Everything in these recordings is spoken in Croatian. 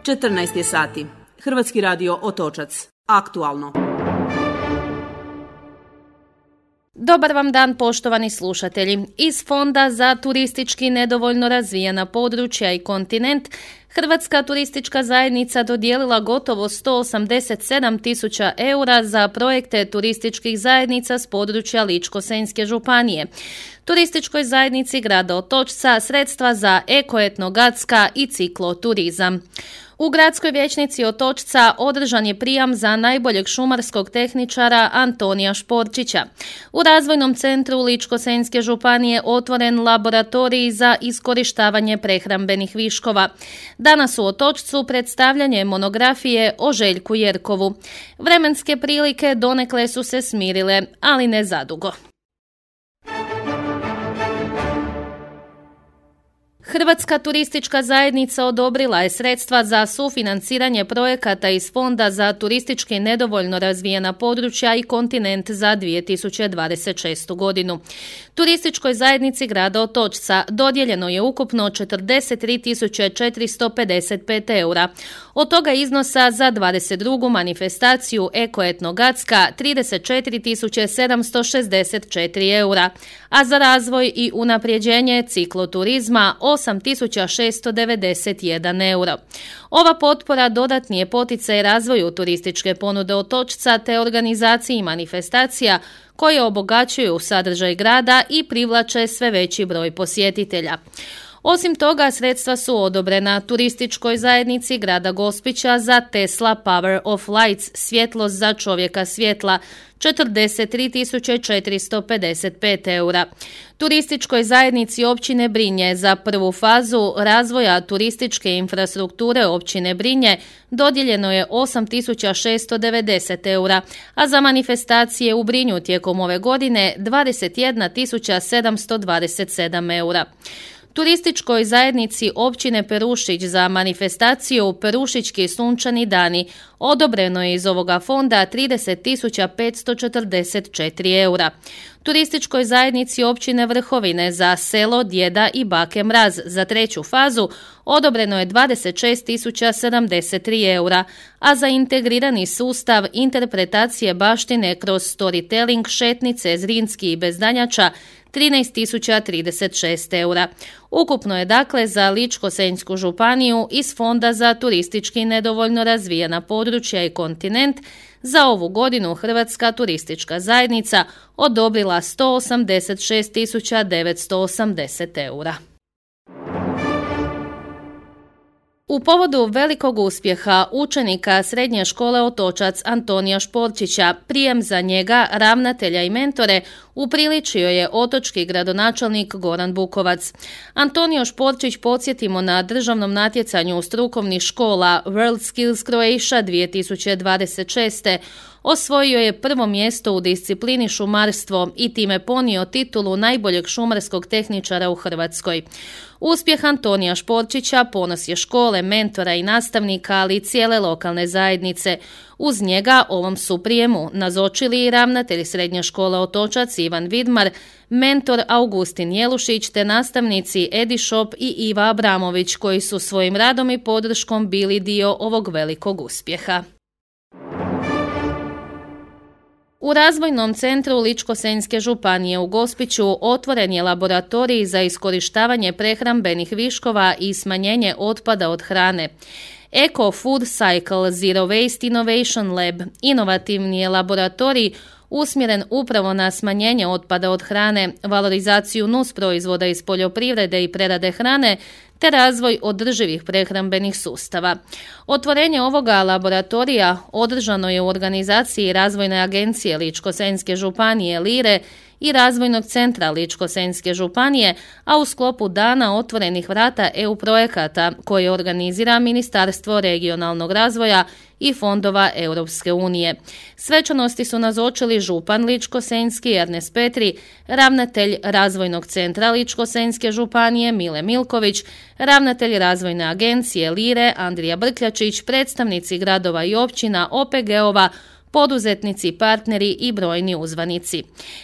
14 je sati. Hrvatski radio Otočac. Aktualno. Dobar vam dan, poštovani slušatelji. Iz Fonda za turistički nedovoljno razvijena područja i kontinent Hrvatska turistička zajednica dodijelila gotovo 187.000 eura za projekte turističkih zajednica s područja Ličko-senjske županije. Turističkoj zajednici grada Otočca sredstva za eko-etnogradska i cikloturizam. U gradskoj vijećnici Otočca održan je prijam za najboljeg šumarskog tehničara Antonija Šporčića. U razvojnom centru Ličko-senjske županije otvoren laboratorij za iskorištavanje prehrambenih viškova. Danas u Otočcu predstavljanje monografije o Željku Jerkovu. Vremenske prilike donekle su se smirile, ali ne zadugo. Hrvatska turistička zajednica odobrila je sredstva za sufinanciranje projekata iz Fonda za turistički nedovoljno razvijena područja i kontinent za 2026. godinu. Turističkoj zajednici grada Otočca dodijeljeno je ukupno 43.455 eura. Od toga iznosa za 22. manifestaciju Eko-etnogradska 34.764 eura, a za razvoj i unapređenje cikloturizma 8.691 euro. Ova potpora dodatni je poticaj razvoju turističke ponude Otočca te organizaciji manifestacija koje obogaćuju sadržaj grada i privlače sve veći broj posjetitelja. Osim toga, sredstva su odobrena turističkoj zajednici grada Gospića za Tesla Power of Lights, svjetlost za čovjeka svjetla, 43.455 eura. Turističkoj zajednici općine Brinje za prvu fazu razvoja turističke infrastrukture općine Brinje dodijeljeno je 8.690 eura, a za manifestacije u Brinju tijekom ove godine 21.727 eura. Turističkoj zajednici općine Perušić za manifestaciju Perušićki sunčani dani odobreno je iz ovoga fonda 30.544 eura. Turističkoj zajednici općine Vrhovine za selo Djeda i bake Mraz za treću fazu odobreno je 26.073 eura, a za integrirani sustav interpretacije baštine kroz storytelling šetnice Zrinski i Bezdanjača 13.036 eura. Ukupno je dakle za Ličko-senjsku županiju iz Fonda za turistički nedovoljno razvijena područja i kontinent za ovu godinu Hrvatska turistička zajednica odobrila 186.980 eura. U povodu velikog uspjeha učenika srednje škole Otočac Antonija Šporčića, prijem za njega, ravnatelja i mentore upriličio je otočki gradonačelnik Goran Bukovac. Antonio Šporčić, podsjetimo, na državnom natjecanju strukovnih škola World Skills Croatia 2026. osvojio je prvo mjesto u disciplini šumarstvo i time ponio titulu najboljeg šumarskog tehničara u Hrvatskoj. Uspjeh Antonija Šporčića ponos je škole, mentora i nastavnika, ali i cijele lokalne zajednice. Uz njega ovom su prijemu nazočili i ravnatelj srednje škole Otočac Ivan Vidmar, mentor Augustin Jelušić te nastavnici Edi Šop i Iva Abramović, koji su svojim radom i podrškom bili dio ovog velikog uspjeha. U razvojnom centru Ličko-senjske županije u Gospiću otvoren je laboratorij za iskorištavanje prehrambenih viškova i smanjenje otpada od hrane. Eco Food Cycle Zero Waste Innovation Lab inovativni je laboratorij usmjeren upravo na smanjenje otpada od hrane, valorizaciju nusproizvoda iz poljoprivrede i prerade hrane te razvoj održivih prehrambenih sustava. Otvorenje ovoga laboratorija održano je u organizaciji Razvojne agencije Ličko-senjske županije LIRE i Razvojnog centra Ličko-senjske županije, a u sklopu Dana otvorenih vrata EU projekata koje organizira Ministarstvo regionalnog razvoja i fondova Europske unije. Svečanosti su nazočili župan Ličko-senjski Ernest Petri, ravnatelj Razvojnog centra Ličko-senjske županije Mile Milković, ravnatelj Razvojne agencije LIRE Andrija Brkljačić, predstavnici gradova i općina, OPG-ova, poduzetnici, partneri i brojni uzvanici.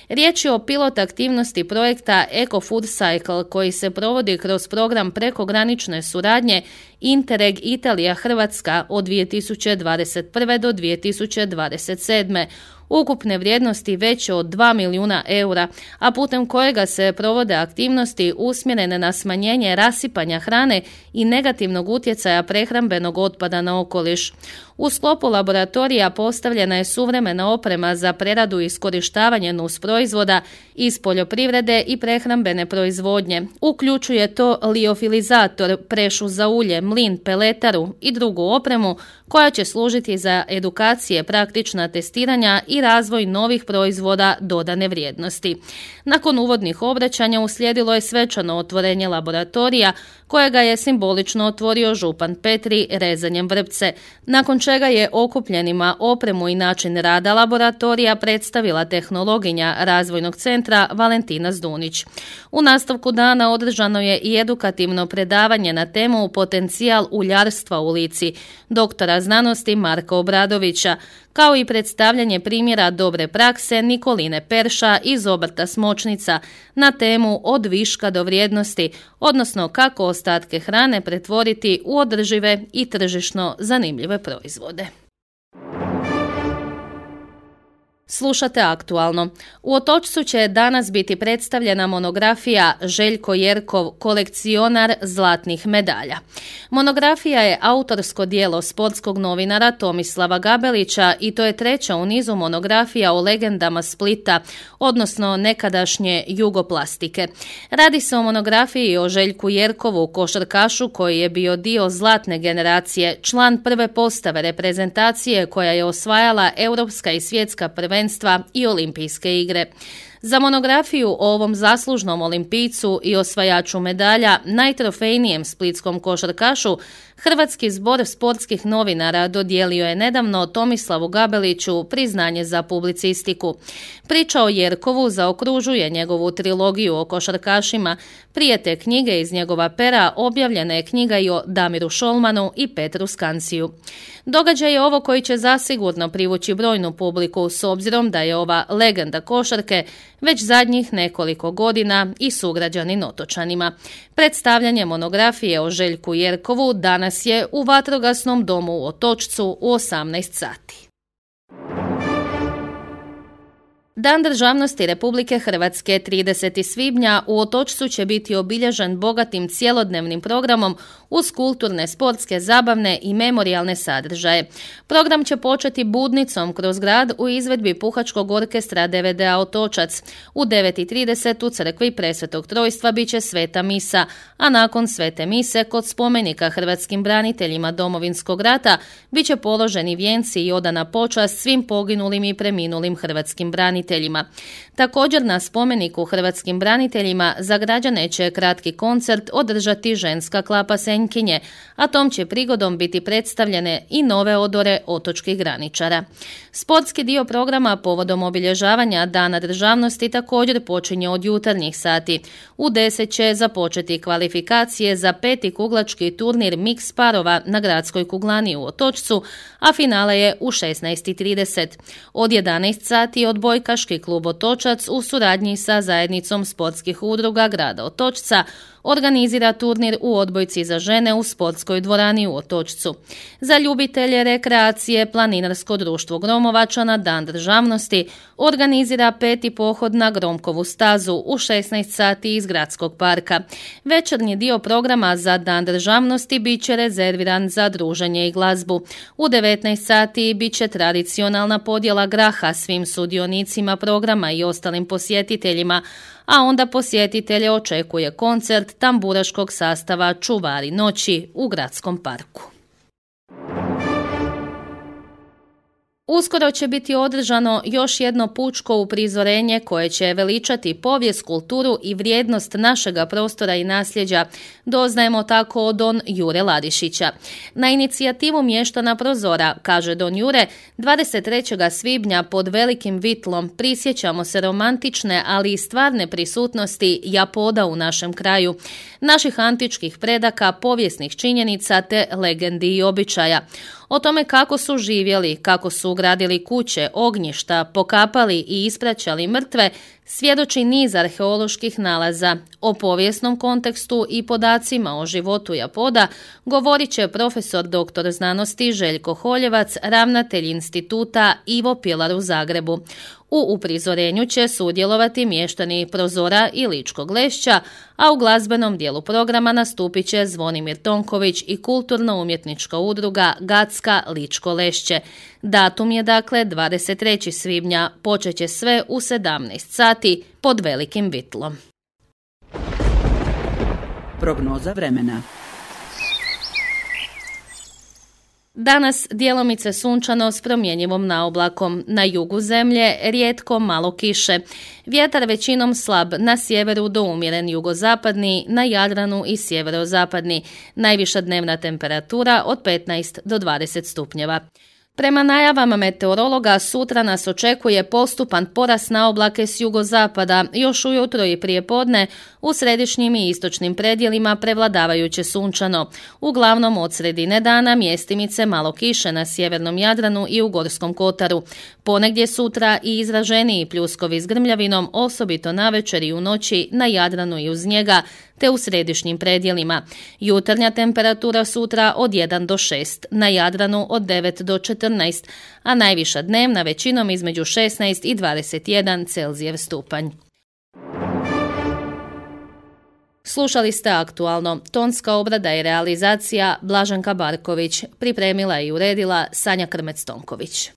Riječ je o pilot aktivnosti projekta Eco Food Cycle koji se provodi kroz program prekogranične suradnje Interreg Italija-Hrvatska od 2021. do 2027. ukupne vrijednosti veće od 2 milijuna eura, a putem kojega se provode aktivnosti usmjerene na smanjenje rasipanja hrane i negativnog utjecaja prehrambenog otpada na okoliš. U sklopu laboratorija postavljena je suvremena oprema za preradu i iskorištavanje nusproizvoda iz poljoprivrede i prehrambene proizvodnje. Uključuje to liofilizator, prešu za ulje, mlin, peletaru i drugu opremu koja će služiti za edukacije, praktična testiranja i razvoj novih proizvoda dodane vrijednosti. Nakon uvodnih obraćanja uslijedilo je svečano otvorenje laboratorija kojega je simbolično otvorio župan Petri rezanjem vrpce, nakon čega je okupljenima opremu i način rada laboratorija predstavila tehnologinja Razvojnog centra Valentina Zdunić. U nastavku dana održano je i edukativno predavanje na temu Potencijal uljarstva u Lici doktora znanosti Marka Obradovića, kao i predstavljanje primjera dobre prakse Nikoline Perša iz obrta Smočnica na temu Od viška do vrijednosti, odnosno kako ostatke hrane pretvoriti u održive i tržišno zanimljive proizvode. Slušate Aktualno. U Otočcu će danas biti predstavljena monografija Željko Jerkov, kolekcionar zlatnih medalja. Monografija je autorsko djelo sportskog novinara Tomislava Gabelića i to je treća u nizu monografija o legendama Splita, odnosno nekadašnje Jugoplastike. Radi se o monografiji o Željku Jerkovu, košarkašu koji je bio dio zlatne generacije, član prve postave reprezentacije koja je osvajala europska i svjetska prvenstva i olimpijske igre. Za monografiju o ovom zaslužnom olimpijcu i osvajaču medalja, najtrofejnijem splitskom košarkašu, Hrvatski zbor sportskih novinara dodijelio je nedavno Tomislavu Gabeliću priznanje za publicistiku. Priča o Jerkovu zaokružuje njegovu trilogiju o košarkašima. Prije te knjige iz njegova pera objavljena je knjiga i o Damiru Šolmanu i Petru Skanciju. Događaj je ovo koji će zasigurno privući brojnu publiku s obzirom da je ova legenda košarke već zadnjih nekoliko godina i sugrađanin otočanima. Predstavljanje monografije o Željku Jerkovu danas je u Vatrogasnom domu u Otočcu u 18 sati. Dan državnosti Republike Hrvatske 30. svibnja u Otočcu će biti obilježen bogatim cjelodnevnim programom uz kulturne, sportske, zabavne i memorijalne sadržaje. Program će početi budnicom kroz grad u izvedbi Puhačkog orkestra DVD-a Otočac. U 9:30 u crkvi Presvetog Trojstva bit će sveta misa, a nakon svete mise kod spomenika hrvatskim braniteljima Domovinskog rata bit će položeni vijenci i odana počast svim poginulim i preminulim hrvatskim braniteljima. Također na spomeniku hrvatskim braniteljima za građane će kratki koncert održati ženska klapa Senjkinje, a tom će prigodom biti predstavljene i nove odore otočkih graničara. Sportski dio programa povodom obilježavanja Dana državnosti također počinje od jutarnjih sati. U 10 će započeti kvalifikacije za 5. kuglački turnir mix parova na gradskoj kuglani u Otočcu, a finale je u 16:30. Od 11 sati odbojkaški klub Otočac u suradnji sa zajednicom sportskih udruga grada Otočca organizira turnir u odbojci za žene u sportskoj dvorani u Otočcu. Za ljubitelje rekreacije Planinarsko društvo Gromovača na Dan državnosti organizira 5. pohod na Gromkovu stazu u 16 sati iz gradskog parka. Večernji dio programa za Dan državnosti bit će rezerviran za druženje i glazbu. U 19 sati bit će tradicionalna podjela graha svim sudionicima programa i ostalim posjetiteljima, a onda posjetitelje očekuje koncert tamburaškog sastava Čuvari noći u gradskom parku. Uskoro će biti održano još jedno pučko uprizorenje koje će veličati povijest, kulturu i vrijednost našega prostora i nasljeđa, doznajemo tako od don Jure Ladišića. Na inicijativu mještana Prozora, kaže don Jure, 23. svibnja pod Velikim Vitlom prisjećamo se romantične, ali i stvarne prisutnosti japoda u našem kraju, naših antičkih predaka, povijesnih činjenica te legendi i običaja. O tome kako su živjeli, kako su ugradili kuće, ognjišta, pokapali i ispraćali mrtve, svjedoči niz arheoloških nalaza. O povijesnom kontekstu i podacima o životu Japoda govorit će profesor dr. znanosti Željko Holjevac, ravnatelj instituta Ivo Pilar u Zagrebu. U uprizorenju će sudjelovati mještani Prozora i Ličkog Lešća, a u glazbenom dijelu programa nastupit će Zvonimir Tonković i kulturno-umjetnička udruga Gacka Ličko Lešće. Datum je dakle 23. svibnja, počet će sve u 17 sati pod Velikim Vitlom. Prognoza vremena. Danas djelomice sunčano s promjenjivom naoblakom. Na jugu zemlje rijetko malo kiše. Vjetar većinom slab, na sjeveru do umjeren jugozapadni, na Jadranu i sjeverozapadni. Najviša dnevna temperatura od 15 do 20 stupnjeva. Prema najavama meteorologa, sutra nas očekuje postupan porast naoblake s jugozapada, još ujutro i prije podne, u središnjim i istočnim predjelima prevladavajuće sunčano. Uglavnom od sredine dana mjestimice malo kiše na sjevernom Jadranu i u Gorskom kotaru. Ponegdje sutra i izraženiji pljuskovi s grmljavinom, osobito navečer i u noći na Jadranu i uz njega, te u središnjim predjelima. Jutarnja temperatura sutra od 1 do 6, na Jadranu od 9 do 14, a najviša dnevna većinom između 16 i 21 Celzijev stupanj. Slušali ste Aktualno. Tonska obrada i realizacija Blaženka Barković. Pripremila i uredila Sanja Krmec-Tonković.